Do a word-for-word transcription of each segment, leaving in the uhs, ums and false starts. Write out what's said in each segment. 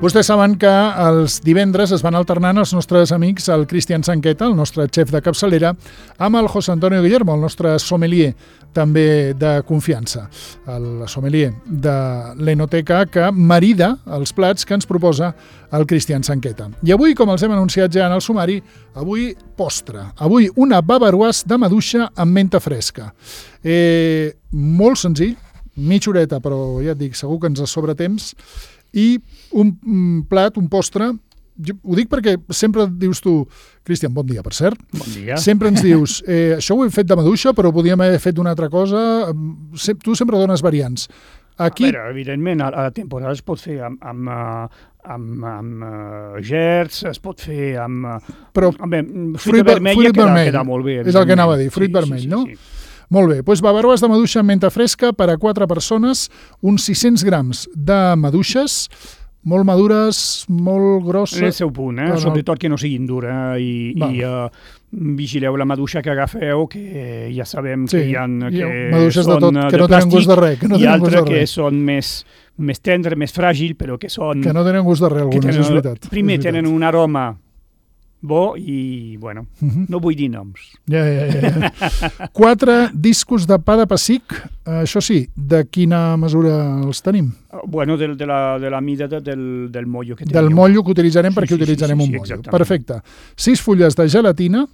Vostès saben que els divendres es van alternant els nostres amics, el Cristian Sanqueta, el nostre xef de capçalera, amb el José Antonio Guillermo, el nostre sommelier, també de confiança, el sommelier de l'Enoteca, que marida els plats que ens proposa el Cristian Sanqueta. I avui, com els hem anunciat ja en el sumari, avui postre. Avui una bavaroise de maduixa amb menta fresca. Eh, molt senzill, mitja horeta, però ja et dic, segur que ens sobra temps, i un, un plat, un postre, jo ho dic perquè sempre dius tu, Cristian, bon dia, per cert. Bon dia. Sempre ens dius, eh, això ho hem fet de maduixa, però podíem haver fet d'una altra cosa. Tu sempre dones variants. Aquí... A veure, evidentment, a la temporada es pot fer amb, amb, amb, amb uh, gerds, es pot fer amb... Però amb, amb fruita fruit, vermella fruit queda, vermell. queda molt bé. És el que anava a dir, fruit sí, vermell, sí, sí, no? Sí. Molt bé, doncs bavaroise de maduixa amb menta fresca per a quatre persones, uns sis-cents grams de maduixes, molt madures, molt grosses... En el seu punt, eh? No, no. Sobretot que no siguin dures i, Val. i uh, vigileu la maduixa que agafeu, que ja sabem Sí, que hi ha... hi ha Que maduixes de són tot, que no tenen gust de res, que no i tenen gust de altres que res. són més, més tendres, més fràgils, però que són... Que no tenen gust de res, que algunes, tenen, és veritat. Primer és veritat. tenen un aroma bo i, bueno, Uh-huh. no vull dir noms. Ja, ja, ja. Quatre discos de pa de pessic, això sí, de quina mesura els tenim? Bueno, del, de, la, de la mida de, del, del mollo que teniu. Del mollo que utilitzarem, Sí, perquè sí, sí, utilitzarem sí, sí, un mollo. exactament. Perfecte. Sis fulles de gelatina,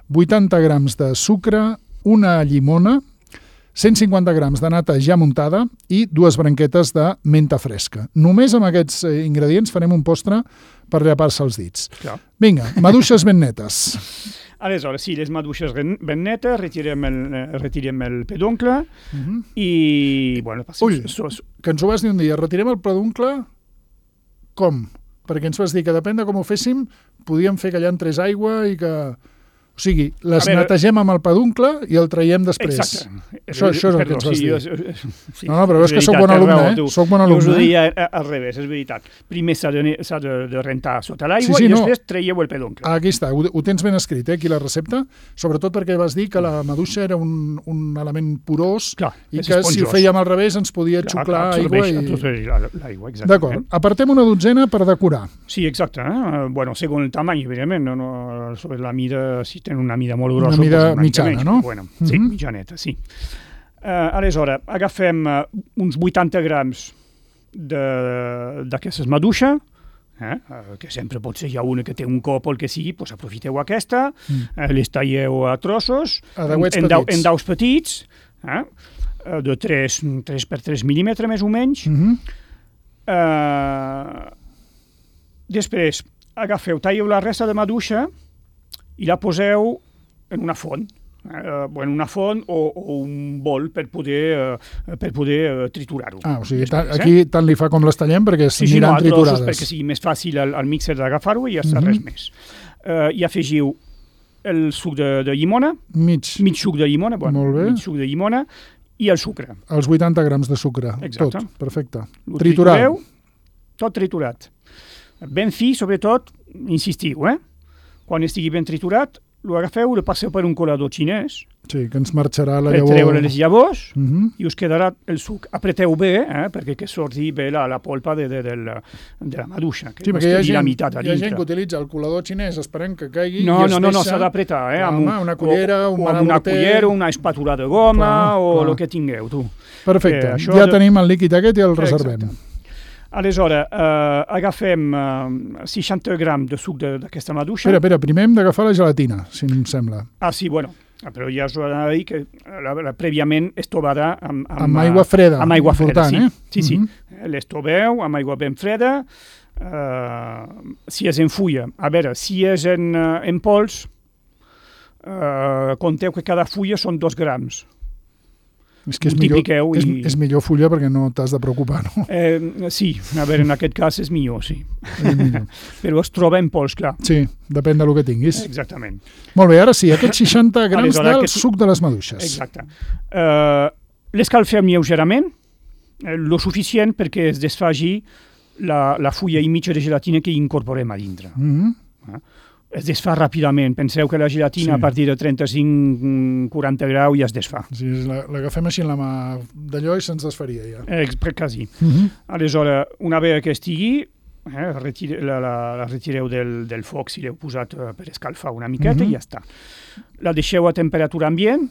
vuitanta grams de sucre, una llimona, cent cinquanta grams de nata ja muntada i dues branquetes de menta fresca. Només amb aquests ingredients farem un postre per llepar-se els dits. Clar. Vinga, maduixes ben netes. Aleshores, sí, les maduixes ben netes, retirem el, retirem el pedoncle Uh-huh. i, bueno, passem... Ull, que ens ho vas dir un dia, retirem el pedoncle com? Perquè ens vas dir que depèn de com ho féssim, podíem fer que allà entrés aigua i que... O sigui, les veure, netegem amb el peduncle i el traiem després. Exacte. Això, això és el Perdó, que ens vas sí, dir. Jo, sí, no, no, però veus que soc veritat, bon alumne, raó, eh? tu. Soc bon Jo us ho alumne. deia al revés, és veritat. Primer s'ha de, s'ha de, de rentar sota l'aigua Sí, sí, i no. després traieu el pedoncle. Aquí està, ho, ho tens ben escrit, eh, aquí la recepta, sobretot perquè vas dir que la maduixa era un, un element porós Clar, i és que esponjós. si ho fèiem al revés ens podia Clar, xuclar absorbeix, aigua. I... absorbeix la- l'aigua, exactament. D'acord, apartem una dotzena per decorar. Sí, exacte. Eh? Bueno, segons el tamany, evidentment, no, no, sobre la mida, si tenen una mida molt Una grossa... mida doncs una mitjana, menys, no? Bueno, sí, Mhm. mitjaneta, sí. Uh, aleshores, agafem uh, uns vuitanta grams de- d'aquestes maduixa, eh? uh, que sempre pot ser ja una que té un cop o el que sigui, doncs aprofiteu aquesta, Mm. uh, les talleu a trossos, A dauets en, dau, petits. en daus petits, eh? uh, de tres per tres mil·límetres més o menys. Uh-huh. Uh, després, agafeu, talleu la resta de maduixa i la poseu en una font, eh, en una font o, o un bol per poder, eh, per poder eh, triturar-ho. Ah, o sigui, Després, ta, aquí tant li fa com les tallem perquè sí, sí, no, s'aniran a trossos triturades. perquè sigui més fàcil al, al mixer d'agafar-ho i ja està, Mhm. res més. Uh, I afegiu el suc de, de llimona, Mig, mig suc de llimona, bueno, Molt bé. mig suc de llimona i el sucre. els vuitanta grams de sucre. Exacte. Tot, perfecte. Ho Triturat. tritureu, tot triturat. Ben fi, sobretot, insistiu, eh? Quan estigui ben triturat, lo agafeu, lo passeu per un colador xinès, Sí, que ens marxarà la per llavor. treure les llavors Uh-huh. i us quedarà el suc. Apreteu bé, eh? Perquè que surti bé la, la polpa de, de, de, la, de la maduixa, que Sí, no perquè hi ha, estigui la gent, meitat a hi ha gent dintre. que utilitza el colador xinès esperant que caigui No, i es no, no, no, deixa... s'ha d'apretar, eh? Clar, Amb, home, una cullera, un o amb una manamorter. cullera, una espàtula de goma Clar, o clar. el que tingueu, tu. Perfecte, Eh, això ja de- tenim el líquid aquest i el reservem. Exacte. Aleshores, eh, agafem eh, seixanta grams de suc de- d'aquesta maduixa. Espera, espera, primer hem d'agafar la gelatina, si em sembla. Ah, sí, bueno, però ja us ho anava a dir que la, la, prèviament es tovarà amb, amb, Amb aigua freda, Amb aigua freda, important, sí. eh? Sí, sí. Mhm. Les toveu amb aigua ben freda. Uh, si és en fulla, a veure, si és en, uh, en pols, uh, compteu que cada fulla són dos grams. És que és Multipliqueu millor, és, i- és millor fulla perquè no t'has de preocupar, no? Eh, sí, a veure, en aquest cas és millor, sí. És millor. Però es troba en pols, clar. Sí, depèn del que tinguis. Exactament. Molt bé, ara sí, aquests seixanta grams Aleshores, del aquest- suc de les maduixes. Exacte. Uh, l'escalfem lleugerament, eh, lo suficient perquè es desfagi la, la fulla i mitja de gelatina que incorporem a dintre. Mhm. Es desfà ràpidament. Penseu que la gelatina Sí. a partir de trenta-cinc quaranta graus ja es desfà. Sí, la- l'agafem així en la mà d'allò i se'ns desfaria ja. Eh, quasi. Mhm. Aleshores, una vegada que estigui, eh, retire, la, la, la retireu del, del foc si l'heu posat eh, per escalfar una miqueta mm-hmm. i ja està. La deixeu a temperatura ambient,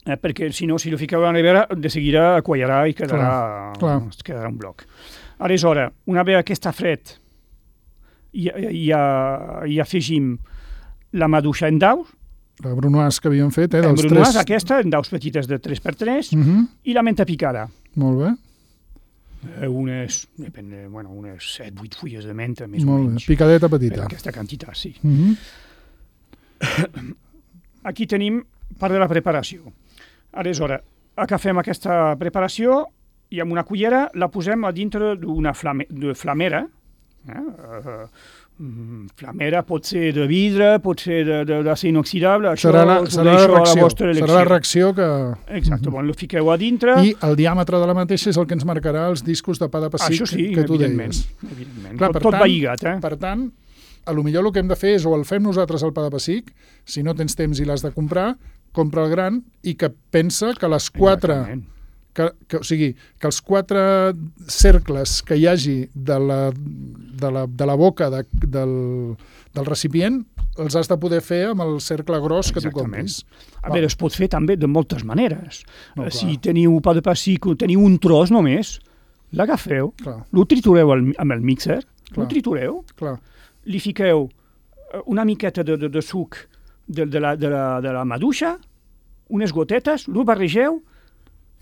eh, perquè si no, si lo fiqueu a la nevera, de seguida quallarà i quedarà, clar, clar. quedarà un bloc. Aleshores, una vegada que està fred, i, i, i afegim la maduixa en daus. La brunoise que havíem fet, eh? La dels brunoise tres... aquesta, en daus petites de tres per tres, uh-huh. i la menta picada. Molt bé. Eh, unes, depèn, bueno, unes set vuit fulles de menta, més Molt o menys. Bé. Picadeta petita. Per aquesta quantitat, sí. Uh-huh. Aquí tenim part de la preparació. Aleshores, agafem aquesta preparació i amb una cullera la posem a dintre d'una flame, de flamera. Eh? Uh, flamera pot ser de vidre, pot ser d'acer inoxidable, això serà la, serà la reacció, a la vostra elecció. Serà la reacció que... Exacte, bon, lo fiqueu a dintre... I el diàmetre de la mateixa és el que ens marcarà els discos de pa de pessic sí, que tu evidentment, deies. Evidentment. Clar, tot, per tot tant, va lligat, eh? Per tant, a lo millor el que hem de fer és o el fem nosaltres el pa de pessic, si no tens temps i l'has de comprar, compra el gran i que pensa que les quatre... Que, que, o sigui, que els quatre cercles que hi hagi de la, de la, de la boca de, del, del recipient els has de poder fer amb el cercle gros que Exactament. Tu compris. A veure, es pot fer també de moltes maneres. No, si teniu pa de pessic, teniu un tros només, l'agafeu, clar. Lo tritureu al, amb el mixer, clar. Lo tritureu, clar. Li fiqueu una miqueta de, de, de suc de, de, la, de, la, de la maduixa, unes gotetes, lo barregeu,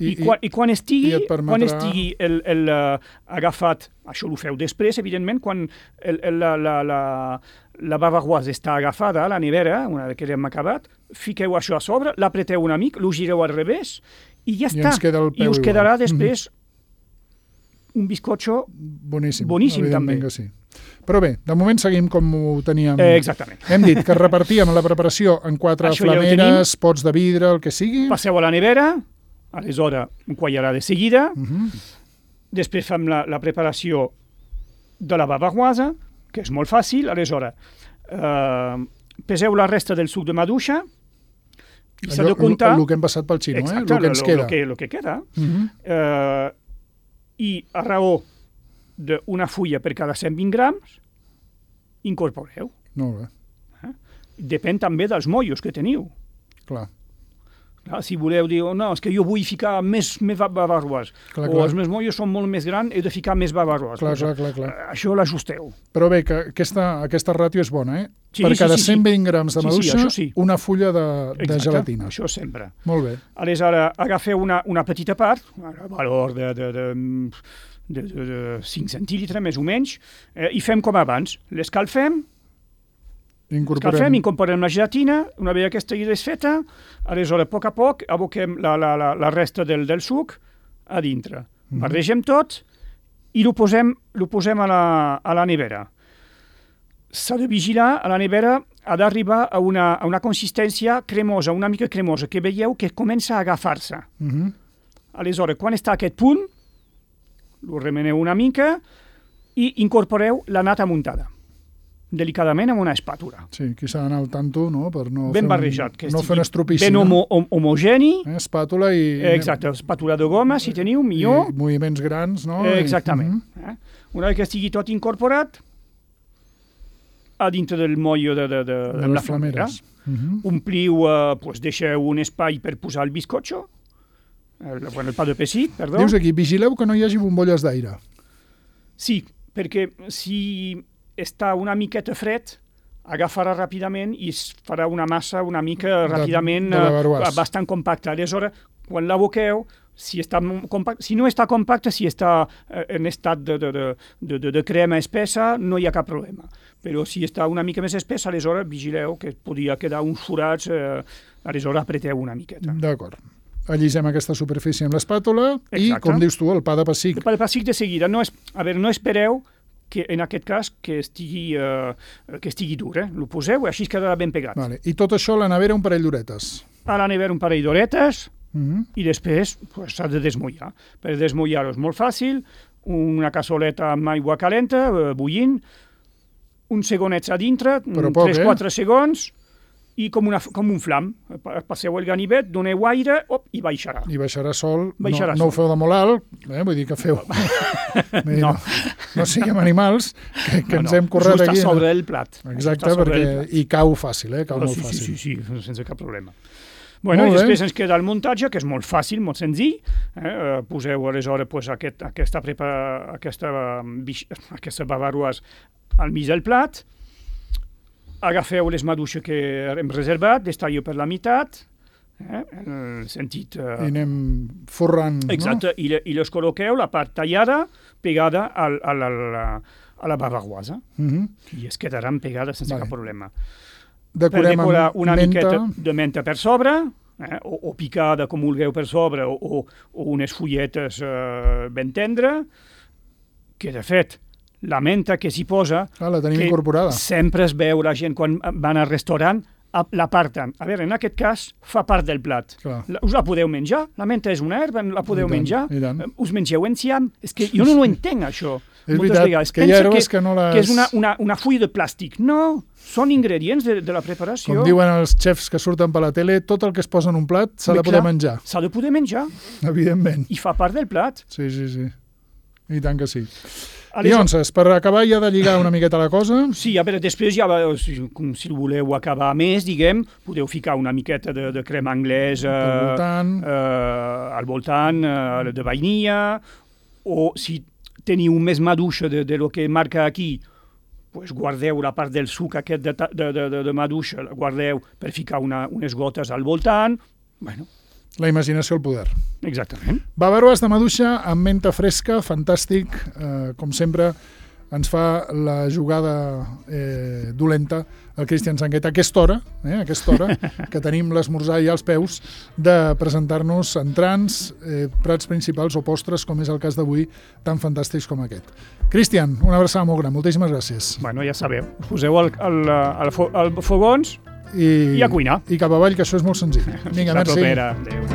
I, I, quan, i quan estigui, i permetrà... quan estigui el, el, uh, agafat, això ho feu després, evidentment, quan el, el, la, la, la, la bavaroise està agafada a la nevera, una vegada que l'hem acabat, fiqueu això a sobre, l'apreteu una mica, lo gireu al revés, i ja I està. I us quedarà igual. després mm-hmm. un bizcocho boníssim, boníssim també. Que sí. Però bé, de moment seguim com ho teníem. Eh, exactament. Hem dit que repartíem la preparació en quatre això flameres, ja pots de vidre, el que sigui. Passeu a la nevera, aleshores un quallarà de seguida, uh-huh. després fem la, la preparació de la bavaroise, que és molt fàcil, aleshores eh, peseu la resta del suc de maduixa i s'ha de comptar... El que hem passat pel xino, exacte, eh? el que ens lo, queda. Lo que, lo que queda. Uh-huh. Eh, I a raó d'una fulla per cada cent vint grams, incorporeu. Molt bé. Eh? Depèn també dels mollos que teniu. Clar. Clar, si voleu dir, oh, no, és que jo vull ficar més, més bavaroise, clar, o clar. els meus mollos són molt més grans, he de ficar més bavaroise. Clar, clar, clar, clar. Això l'ajusteu. Però bé, que aquesta, aquesta ràtio és bona, eh? Sí, per sí, cada sí, cent vint sí. grams de maduixa, sí, sí, sí. una fulla de, Exacte, de gelatina. Això sempre. Molt bé. Aleshores, agafeu una, una petita part, a valor de, de, de, de, de, de cinc centílitres, més o menys, eh, i fem com abans. L'escalfem, Incorporem... Escalfem, incorporem la gelatina, una vegada que estigui desfeta, aleshores, a poc a poc, aboquem la, la, la, la resta del, del suc a dintre. Mm-hmm. Barregem tot i ho posem, lo posem a la, a la nevera. S'ha de vigilar, a la nevera ha d'arribar a una, a una consistència cremosa, una mica cremosa, que veieu que comença a agafar-se. Mm-hmm. Aleshores, quan està a aquest punt, ho remeneu una mica i incorporeu la nata muntada. Delicadament amb una espàtula. Sí, aquí s'ha d'anar al tanto, no?, per no ben fer barrejat, un, que no fer un estropici. Ben homo, hom, homogeni. Eh, espàtula i... Exacte, espàtula de goma, si teniu, millor. I moviments grans, no? Eh, exactament. I, uh-huh. eh? Una vegada que estigui tot incorporat, a dintre del mollo de, de, de, de, de les la flamera, uh-huh. ompliu, eh, pues, deixeu un espai per posar el bizcocho, el, bueno, el pa de pessic, perdó. Dius aquí, vigileu que no hi hagi bombolles d'aire. Sí, perquè si està una miqueta fred, agafarà ràpidament i es farà una massa una mica ràpidament de, de uh, bastant compacta. Aleshores, quan l'aboqueu, si, està compact, si no està compacta, si està uh, en estat de, de, de, de, de crema espessa, no hi ha cap problema. Però si està una mica més espessa, aleshores vigileu que podia quedar uns forats, uh, aleshores apreteu una miqueta. D'acord. Allisem aquesta superfície amb l'espàtula i, Exacte. Com dius tu, el pa de pessic. El pa de pessic de seguida. No, es, a veure, no espereu que en aquest cas que estigui, uh, que estigui dur, eh? Lo poseu i així quedarà ben pegat. Vale. I tot això a la nevera un parell d'horetes. A la nevera un parell d'horetes uh-huh. i després s'ha pues, de desmullar. Per desmullar-ho és molt fàcil, una cassoleta amb aigua calenta, uh, bullint, uns segonets a dintre, tres quatre eh? segons, i com, una, com un flam. Passeu el ganivet, doneu aire, op, i baixarà. I baixarà sol. Baixarà no, no sol. ho feu de molt alt, eh? Vull dir que feu... no. no siguem animals, que, que no, ens no, hem corret just aquí. Just a sobre el plat. Exacte, perquè i cau fàcil, eh? Cau Però molt sí, fàcil. Sí, sí, sí, sense cap problema. Bueno, i després ens queda el muntatge, que és molt fàcil, molt senzill. Eh? Poseu aleshores pues, aquest, aquesta, prepa, aquesta, aquesta bavaroise al mig del plat, agafeu les maduixes que hem reservat, les talleu per la meitat, eh? en el sentit... Eh... I anem forrant, Exacte, no? I, i les col·loqueu, la part tallada, pegada al, al, al, a la bavaroise, uh -huh. i es quedaran pegades sense vale. cap problema. Decorem per decorar una menta. miqueta de menta per sobre, eh, o, o picada com vulgueu per sobre, o, o, o unes fulletes eh, ben tendres, que de fet la menta que s'hi posa, ah, la tenim que incorporada. Sempre es veu la gent quan van al restaurant, l'aparten. A veure, en aquest cas fa part del plat. La, us la podeu menjar, la menta és una herba, la podeu I tant, menjar, i tant. us mengeu enciam, és que jo no ho entenc això. És veritat, vegades. que hi ha herbes que, que no les... que és una, una, una fulla de plàstic. No, són ingredients de, de la preparació. Com diuen els xefs que surten per la tele, tot el que es posa en un plat s'ha de poder menjar. S'ha de poder menjar. Evidentment. I fa part del plat. Sí, sí, sí. I tant que sí. I llavors, per acabar ja de lligar una miqueta la cosa... Sí, a veure, després ja, com si voleu acabar més, diguem, podeu ficar una miqueta de, de crema anglesa al voltant, eh, al voltant eh, de vainilla, o si teniu més maduixa de, de lo que marca aquí, pues guardeu la part del suc aquest de, de, de, de maduixa, guardeu per ficar una, unes gotes al voltant. Bueno. La imaginació al poder. Exactament. Bavaroise de maduixa amb menta fresca, fantàstic. Eh, com sempre, ens fa la jugada eh, dolenta el Cristian Sangueta a aquesta hora, eh, a aquesta hora que tenim l'esmorzar ja als peus, de presentar-nos entrants, eh, prats principals o postres, com és el cas d'avui, tan fantàstics com aquest. Cristian, una abraçada molt gran. Moltíssimes gràcies. Bueno, ja sabeu. Us poseu al, al, al, al fogons I, i a cuinar. I cap avall, que això és molt senzill. Vinga, merci. La propera. Adéu.